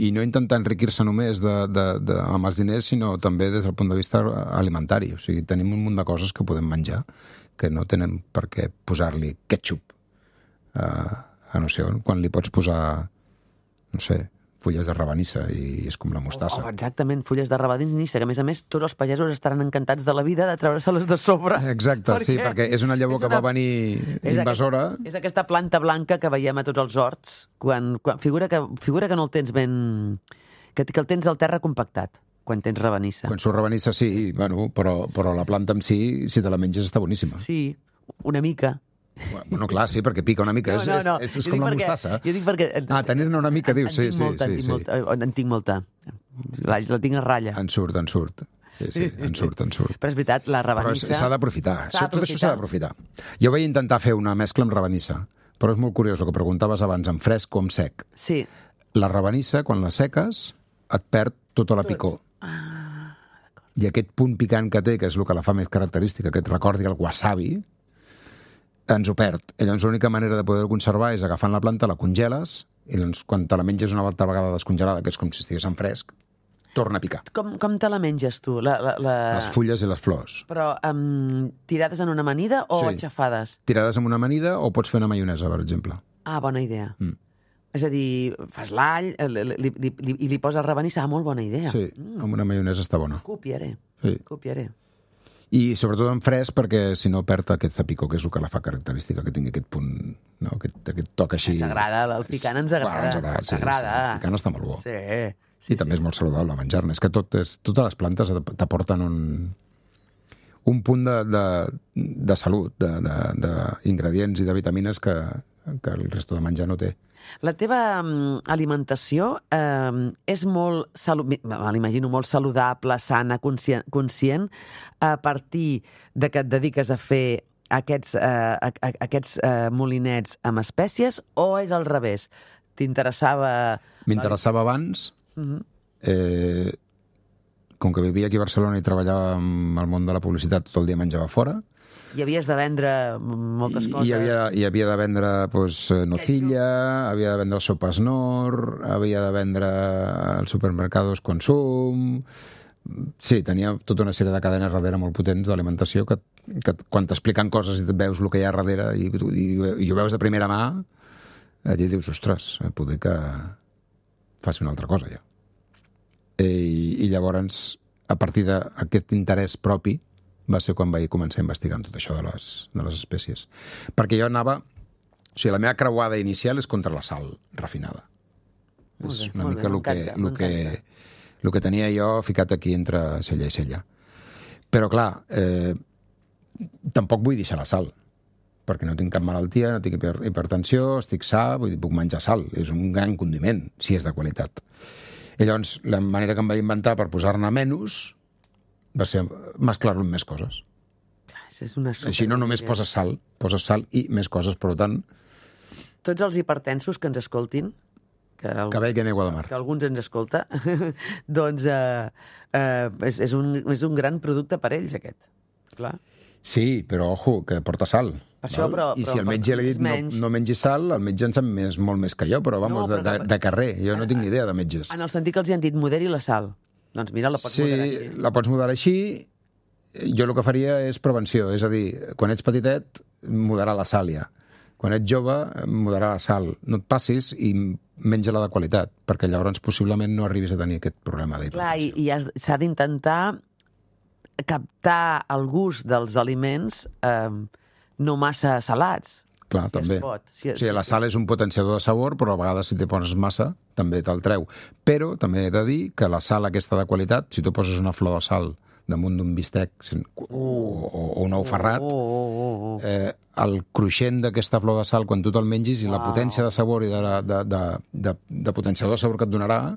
Speaker 3: i no intentar enriquir-se només de, de, de, amb els diners, sinó també des del punt de vista alimentari. O sigui, tenim un munt de coses que podem menjar que no tenen per què posar-li ketchup a, a no sé on, quan li pots posar, no sé, fulles de rabanissa i és com la mostassa.
Speaker 2: Oh, exactament, fulles de rabanissa, que a més a més tots els pagesos estaran encantats de la vida de treure-se-les de sobre.
Speaker 3: Exacte, sí, perquè és una llavor
Speaker 2: és
Speaker 3: que
Speaker 2: una-
Speaker 3: va venir
Speaker 2: És
Speaker 3: invasora.
Speaker 2: Aquesta, és aquesta planta blanca que veiem a tots els horts, quan, quan figura, que, figura que no el tens ben... Que, que el tens al terra compactat. quan tens rabanissa.
Speaker 3: Quan surt rabanissa, sí, bueno, però, però la planta en si, si te la menges, està boníssima.
Speaker 2: Sí, una mica.
Speaker 3: Bueno, clar, sí, perquè pica una mica.
Speaker 2: No, no, no.
Speaker 3: És, és, és com la
Speaker 2: perquè,
Speaker 3: mostassa.
Speaker 2: Jo dic perquè...
Speaker 3: Ah, tenir-ne una mica, dius, sí, sí,
Speaker 2: molta,
Speaker 3: sí.
Speaker 2: En tinc
Speaker 3: sí.
Speaker 2: molta, en tinc molta. La, la tinc a ratlla.
Speaker 3: En surt, en surt. Sí, sí, en surt, en surt.
Speaker 2: Però és veritat, la
Speaker 3: Però
Speaker 2: rabanissa...
Speaker 3: s'ha d'aprofitar.
Speaker 2: S'ha
Speaker 3: Tot això s'ha d'aprofitar. Jo vaig intentar fer una mescla amb rabanissa, però és molt curiós el que preguntaves abans, amb fresc o amb sec.
Speaker 2: Sí.
Speaker 3: La rabanissa, quan la seques, et perd tota la picor.
Speaker 2: Ah,
Speaker 3: I aquest punt picant que té, que és el que la fa més característica, que et recordi el wasabi, ens ho perd. I llavors l'única manera de poder-ho conservar és agafant la planta, la congeles, i doncs quan te la menges una altra vegada descongelada, que és com si estigués en fresc, torna a picar.
Speaker 2: com, com te la menges tu? La, la, la...
Speaker 3: Les fulles i les flors.
Speaker 2: Però um, tirades en una amanida o
Speaker 3: Sí.
Speaker 2: aixafades?
Speaker 3: Tirades amb una amanida o pots fer una maionesa, per exemple.
Speaker 2: Ah, bona idea.
Speaker 3: Mm.
Speaker 2: És a dir, fas l'all li, li, li, li, i li poses rabanissa. Ah, molt bona idea.
Speaker 3: Sí, amb una maionesa està bona.
Speaker 2: Copiaré,
Speaker 3: Sí.
Speaker 2: copiaré.
Speaker 3: I sobretot en fresc, perquè si no perd aquesta picor, que és el que la fa característica, que tingui aquest punt, no? aquest, aquest toc així.
Speaker 2: Ens agrada, el picant ens agrada.
Speaker 3: Clar, ens agrada, sí,
Speaker 2: Ens agrada.
Speaker 3: sí. El picant està molt bo.
Speaker 2: Sí.
Speaker 3: Sí, I també és molt saludable menjar-ne. És que tot és, totes les plantes t'aporten un, un punt de, de, de salut, d'ingredients i de vitamines que, que el resto de menjar no té.
Speaker 2: La teva um, alimentació um, és molt, salu... me l'imagino, molt saludable, sana, conscient, conscient, a partir de que et dediques a fer aquests, uh, a, a, aquests uh, molinets amb espècies, o és al revés? T'interessava...
Speaker 3: M'interessava abans,
Speaker 2: Uh-huh.
Speaker 3: eh, com que vivia aquí a Barcelona i treballava en el món de la publicitat, tot el dia menjava fora,
Speaker 2: I havies de vendre moltes
Speaker 3: I,
Speaker 2: coses.
Speaker 3: i, havia, i havia de vendre pues, nocilla, havia de vendre sopes Nor, havia de vendre als supermercados Consum. Sí, tenia tota una sèrie de cadenes darrere molt potents d'alimentació que, que quan t'expliquen coses i veus el que hi ha darrere i, i, i ho veus de primera mà, et dius, ostres, poder que faci una altra cosa ja. I, i llavors, a partir d'aquest interès propi, va ser quan vaig començar a investigar tot això de les, de les espècies. Perquè jo anava... O sigui, la meva creuada inicial és contra la sal refinada.
Speaker 2: Molt
Speaker 3: És
Speaker 2: bé,
Speaker 3: una
Speaker 2: molt
Speaker 3: mica
Speaker 2: bé,
Speaker 3: el que,
Speaker 2: m'encanta,
Speaker 3: el, que,
Speaker 2: m'encanta.
Speaker 3: el que tenia jo ficat aquí entre cella i cella. Però, clar, eh, tampoc vull deixar la sal, perquè no tinc cap malaltia, no tinc hiper, hipertensió, estic sa, vull dir, puc menjar sal. És un gran condiment, si és de qualitat. I llavors, la manera que em vaig inventar per posar-ne menys va ser mesclar-lo amb més coses.
Speaker 2: Clar, és una super...
Speaker 3: Així no només poses sal, poses sal i més coses, per tant,
Speaker 2: Tots els hipertensos que ens escoltin, que, el...
Speaker 3: que veguen aigua de mar.
Speaker 2: que alguns ens escolta, doncs eh, eh, és, és, un, és un gran producte per ells, aquest. Clar.
Speaker 3: Sí, però ojo, que porta sal.
Speaker 2: Per això,
Speaker 3: val?
Speaker 2: però-
Speaker 3: I
Speaker 2: però
Speaker 3: si el
Speaker 2: per
Speaker 3: metge li ha dit no,
Speaker 2: menys.
Speaker 3: no mengi sal, el metge en sap més, molt més que jo, però vamos,
Speaker 2: No, però
Speaker 3: de, de,
Speaker 2: que-
Speaker 3: de carrer. Jo no tinc ni idea de metges.
Speaker 2: En el sentit que els hi han dit moderi la sal. Doncs mira, la pots
Speaker 3: Sí,
Speaker 2: moderar així.
Speaker 3: la pots moderar així. Jo el que faria és prevenció, és a dir, quan ets petitet, moderar la sal ja. Quan ets jove, moderar la sal. No et passis i menja-la de qualitat, perquè llavors possiblement no arribis a tenir aquest problema
Speaker 2: Clar, i,
Speaker 3: d'hipertensió.
Speaker 2: i has- s'ha d'intentar captar el gust dels aliments eh, no massa salats.
Speaker 3: Clar,
Speaker 2: si es
Speaker 3: també.
Speaker 2: pot, si-
Speaker 3: o sigui,
Speaker 2: si-
Speaker 3: la sal és un potenciador de sabor, però a vegades si te poses massa, també te'l treu. Però també he de dir que la sal aquesta de qualitat, si tu poses una flor de sal damunt d'un bistec sen- o, o, o un ou ferrat,
Speaker 2: Oh, oh, oh, oh.
Speaker 3: eh, el cruixent d'aquesta flor de sal, quan tu te'l mengis, i la
Speaker 2: Uau.
Speaker 3: potència de sabor i de, de, de, de, de potenciador de sabor que et donarà,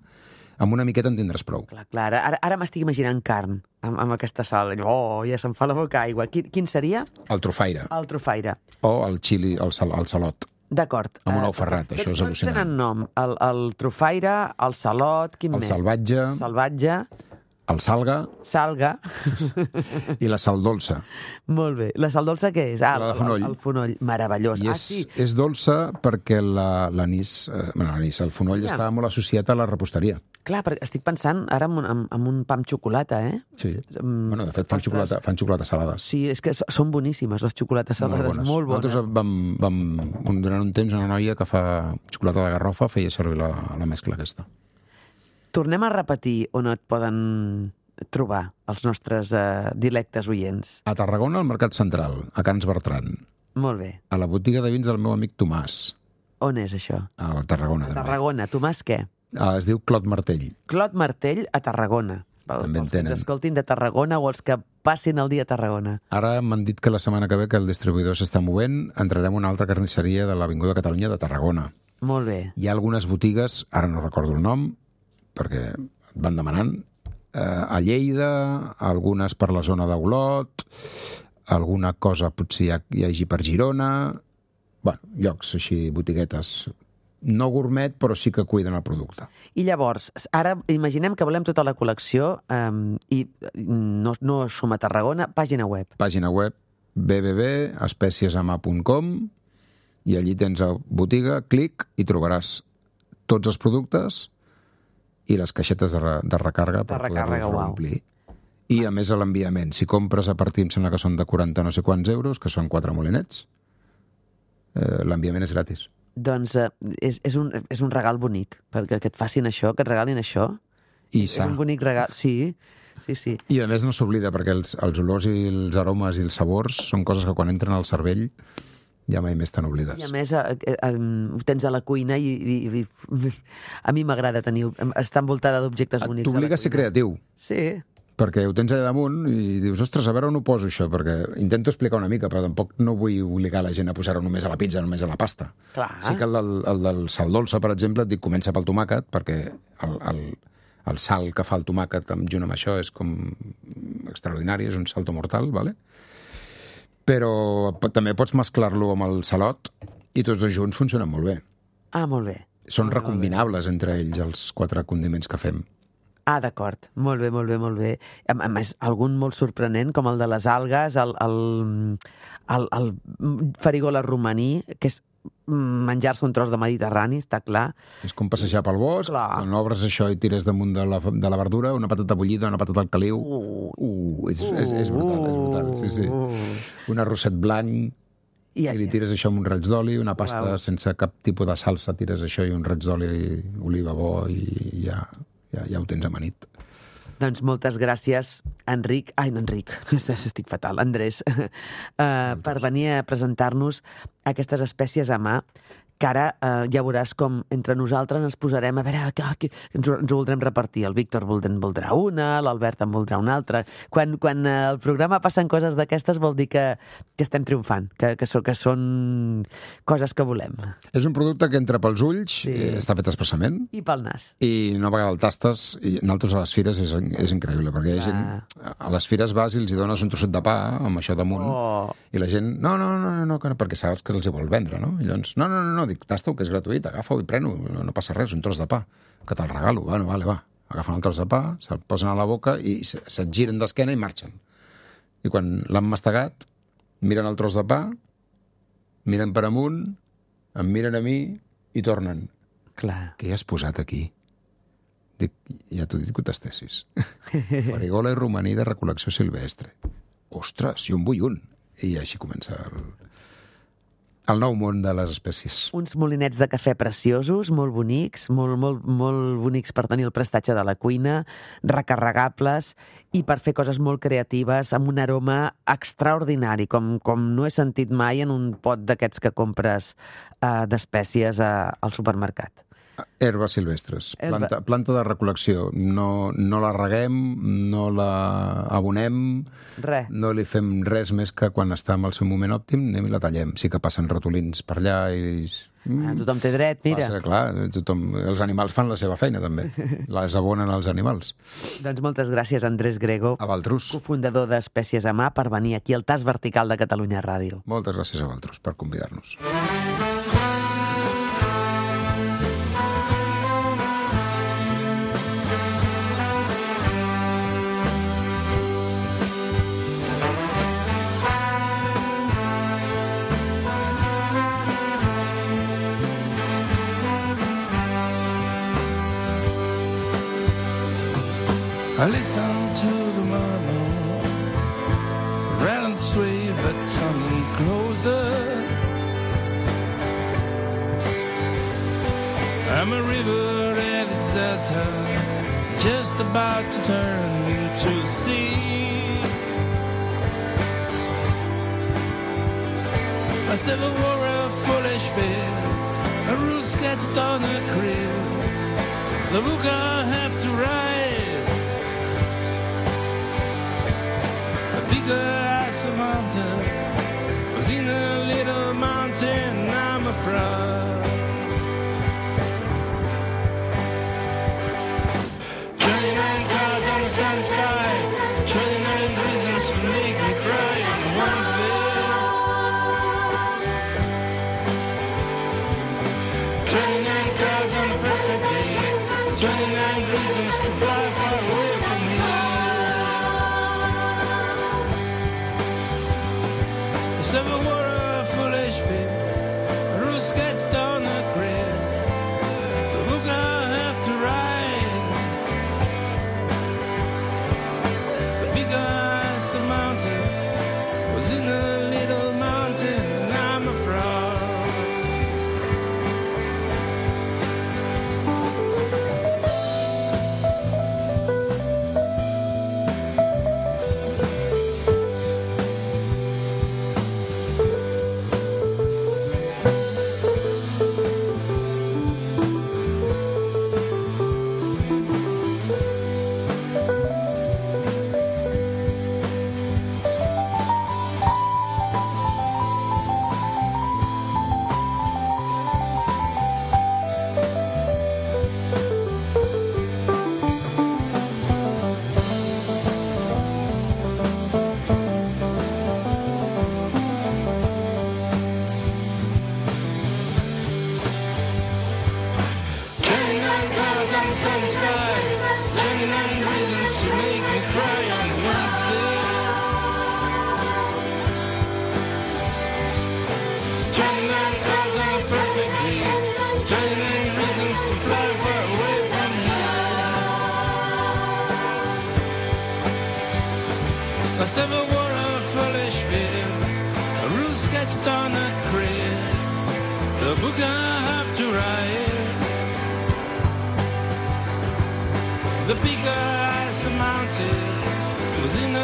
Speaker 3: amb una miqueta en tindràs prou.
Speaker 2: Clar, clar. Ara, ara m'estic imaginant carn amb, amb aquesta sal. Oh, ja se'm fa la boca aigua. Quin, quin seria?
Speaker 3: El trofaire,
Speaker 2: El trofaire.
Speaker 3: o el xili, el, sal, el salot.
Speaker 2: D'acord.
Speaker 3: Amb un
Speaker 2: Eh,
Speaker 3: ou ferrat,
Speaker 2: tots-
Speaker 3: això és
Speaker 2: tots
Speaker 3: al·lucinant.
Speaker 2: tenen nom. El, el trofaire, el salot, quin
Speaker 3: El
Speaker 2: més?
Speaker 3: salvatge,
Speaker 2: Salvatge,
Speaker 3: el salga
Speaker 2: salga.
Speaker 3: i la sal dolça.
Speaker 2: Molt bé. La sal dolça què és? Ah,
Speaker 3: La de
Speaker 2: el-
Speaker 3: fonoll.
Speaker 2: El, el fonoll. Meravellós.
Speaker 3: I
Speaker 2: Ah,
Speaker 3: és,
Speaker 2: sí.
Speaker 3: és dolça perquè la- l'anís, eh, bueno, l'anís, el fonoll
Speaker 2: Ja.
Speaker 3: estava molt associat a la reposteria.
Speaker 2: Clar, perquè estic pensant ara en, un- en, en un pa amb xocolata, eh?
Speaker 3: Sí.
Speaker 2: Mm,
Speaker 3: Bueno, de fet, fan
Speaker 2: ostres.
Speaker 3: xocolata, fan xocolata salades.
Speaker 2: Sí, és que so- són boníssimes, les xocolates salades. Molt bones.
Speaker 3: Nosaltres vam, vam, durant un temps, una noia que fa xocolata de garrofa feia servir la, la mescla aquesta.
Speaker 2: Tornem a repetir on et poden trobar els nostres eh, dilectes oients.
Speaker 3: A Tarragona, al Mercat Central, a Cans Bertran.
Speaker 2: Molt bé.
Speaker 3: A la botiga de vins del meu amic Tomàs,
Speaker 2: On és això?
Speaker 3: a Tarragona
Speaker 2: A
Speaker 3: també.
Speaker 2: Tarragona. Tomàs què?
Speaker 3: Ah, es diu Clot Martell.
Speaker 2: Clot Martell a Tarragona.
Speaker 3: També en
Speaker 2: els que ens
Speaker 3: tenen.
Speaker 2: escoltin de Tarragona o els que passin el dia a Tarragona.
Speaker 3: Ara m'han dit que la setmana que ve que el distribuïdor s'està movent, entrarem a una altra carnisseria de l'Avinguda Catalunya de Tarragona.
Speaker 2: Molt bé.
Speaker 3: Hi ha algunes botigues, ara no recordo el nom, perquè et van demanant, eh, a Lleida, algunes per la zona d'Olot, alguna cosa potser hi, ha, hi hagi per Girona, bueno, llocs així, botiguetes, no gourmet, però sí que cuiden el producte.
Speaker 2: I llavors, ara imaginem que volem tota la col·lecció um, i no, no som a Tarragona, pàgina web.
Speaker 3: Pàgina web w w w punt especiesama punt com i allí tens la botiga, clic i trobaràs tots els productes i les caixetes de, re, de recàrrega per
Speaker 2: recàrrega,
Speaker 3: poder-los reomplir. I a més a l'enviament, si compres a partir, em sembla que són de quaranta no sé quants euros, que són quatre molinets, eh, l'enviament és gratis.
Speaker 2: Doncs eh, és, és, un, és un regal bonic, perquè que et facin això, que et regalin això.
Speaker 3: I
Speaker 2: és
Speaker 3: sa.
Speaker 2: un bonic regal, sí, sí, sí.
Speaker 3: I a més no s'oblida, perquè els, els olors i els aromes i els sabors són coses que quan entren al cervell ja mai més te n'oblides.
Speaker 2: I a més eh, eh, ho tens a la cuina i, i, i a mi m'agrada tenir, estar envoltada d'objectes bonics.
Speaker 3: T'obliga a ser creatiu.
Speaker 2: Sí.
Speaker 3: Perquè ho tens allà damunt i dius, ostres, a veure on ho poso això, perquè intento explicar una mica, però tampoc no vull obligar la gent a posar-ho només a la pizza, només a la pasta.
Speaker 2: Clar.
Speaker 3: Sí que el del, el del sal dolça, per exemple, et dic, comença pel tomàquet, perquè el, el, el sal que fa el tomàquet junt amb això és com extraordinari, és un salto mortal, ¿vale? Però també pots mesclar-lo amb el salot i tots dos junts funcionen molt bé.
Speaker 2: Ah, molt bé.
Speaker 3: Són
Speaker 2: molt
Speaker 3: recombinables bé. Entre ells els quatre condiments que fem.
Speaker 2: Ah, d'acord. Molt bé, molt bé, molt bé. A, a més, algun molt sorprenent, com el de les algues, el, el, el, el farigola romaní, que és menjar-se un tros de Mediterrani, està clar.
Speaker 3: És com passejar pel bosc,
Speaker 2: clar.
Speaker 3: Quan obres això i tires damunt de la, de la verdura, una patata bullida, una patata al caliu. Uh, uh, és, uh, és, és brutal, és brutal, sí, sí. Uh. Un arrosset blanc, i, i li tires això amb un raig d'oli, una pasta wow. sense cap tipus de salsa, tires això i un raig d'oli, oliva bo, i ja... Ja, ja ho tens amanit.
Speaker 2: Doncs moltes gràcies, Enric, ai, no, Enric, estic fatal, Andrés, uh, per venir a presentar-nos aquestes espècies a mà, que ara uh, ja veuràs com entre nosaltres ens posarem a veure que, que ens, ho, ens ho voldrem repartir. El Víctor en voldrà una, l'Albert en voldrà una altra. Quan, quan uh, el programa passen coses d'aquestes vol dir que, que estem triomfant, que, que, so, que són coses que volem.
Speaker 3: És un producte que entra pels ulls, sí. eh, està fet expressament.
Speaker 2: I pel nas.
Speaker 3: I una vegada el tastes, i nosaltres a les fires és, és increïble, perquè hi ha gent... A les fires vas i els hi dones un trosset de pa amb això damunt, oh. i la gent, no, no, no, no, no, perquè saps que els hi vol vendre, no? I llavors, no, no, no, no, dic, tasta-ho, que és gratuït, agafa-ho i pren-ho, no, no passa res, un tros de pa, que te'l regalo, bueno, vale, va. Agafen el tros de pa, se'l posen a la boca i se't giren d'esquena i marxen. I quan l'han mastegat, miren el tros de pa, miren per amunt, em miren a mi i tornen.
Speaker 2: Clar.
Speaker 3: Què hi has posat aquí? Dic, ja t'ho dic que ho tastessis. Farigola i romaní de recol·lecció silvestre. Ostres, jo en vull un. I així comença el... el nou món de les espècies.
Speaker 2: Uns molinets de cafè preciosos, molt bonics, molt, molt, molt bonics per tenir el prestatge de la cuina, recarregables i per fer coses molt creatives, amb un aroma extraordinari, com, com no he sentit mai en un pot d'aquests que compres uh, d'espècies uh, al supermercat.
Speaker 3: Herbes silvestres,
Speaker 2: Herba.
Speaker 3: planta, planta de recol·lecció. No, no la reguem, no la abonem,
Speaker 2: res.
Speaker 3: No li fem res més que quan està en el seu moment òptim, anem i la tallem. Sí que passen ratolins per allà i...
Speaker 2: Ah, tothom té dret, mira.
Speaker 3: Passa, clar, tothom... els animals fan la seva feina, també. Les abonen els animals.
Speaker 2: Doncs moltes gràcies, Andrés Grego,
Speaker 3: a Valtrus,
Speaker 2: cofundador d'Espècies a Mà, per venir aquí al Tas Vertical de Catalunya Ràdio.
Speaker 3: Moltes gràcies a Valtrus per convidar-nos.
Speaker 4: I listen to the murmur, rattle and sway that coming closer. I'm a river at its turn, just about to turn into sea. A civil war of foolish fear, a rule sketched on a crib, the book I have to write. bigger I surmounted was in a little mountain. I'm a frog. Twenty-nine clouds on the sunny sky, twenty-nine reasons to make me cry. And one's there. Twenty-nine clouds on a perfect day, twenty-nine reasons to fly far away from here. If ever were a foolish fit, a rule sketched on a grid, the book I have to write. The bigger I surmounted was in a little mountain, and I'm a frog. Twenty-nine clouds on the sunny sky, twenty-nine reasons to make me cry on Wednesday. Twenty-nine clouds on a perfect day, twenty-nine reasons to fly far away from here. Last ever wore a foolish fear, a rule sketched on a grid, the book I have to write. The bigger I surmounted was in a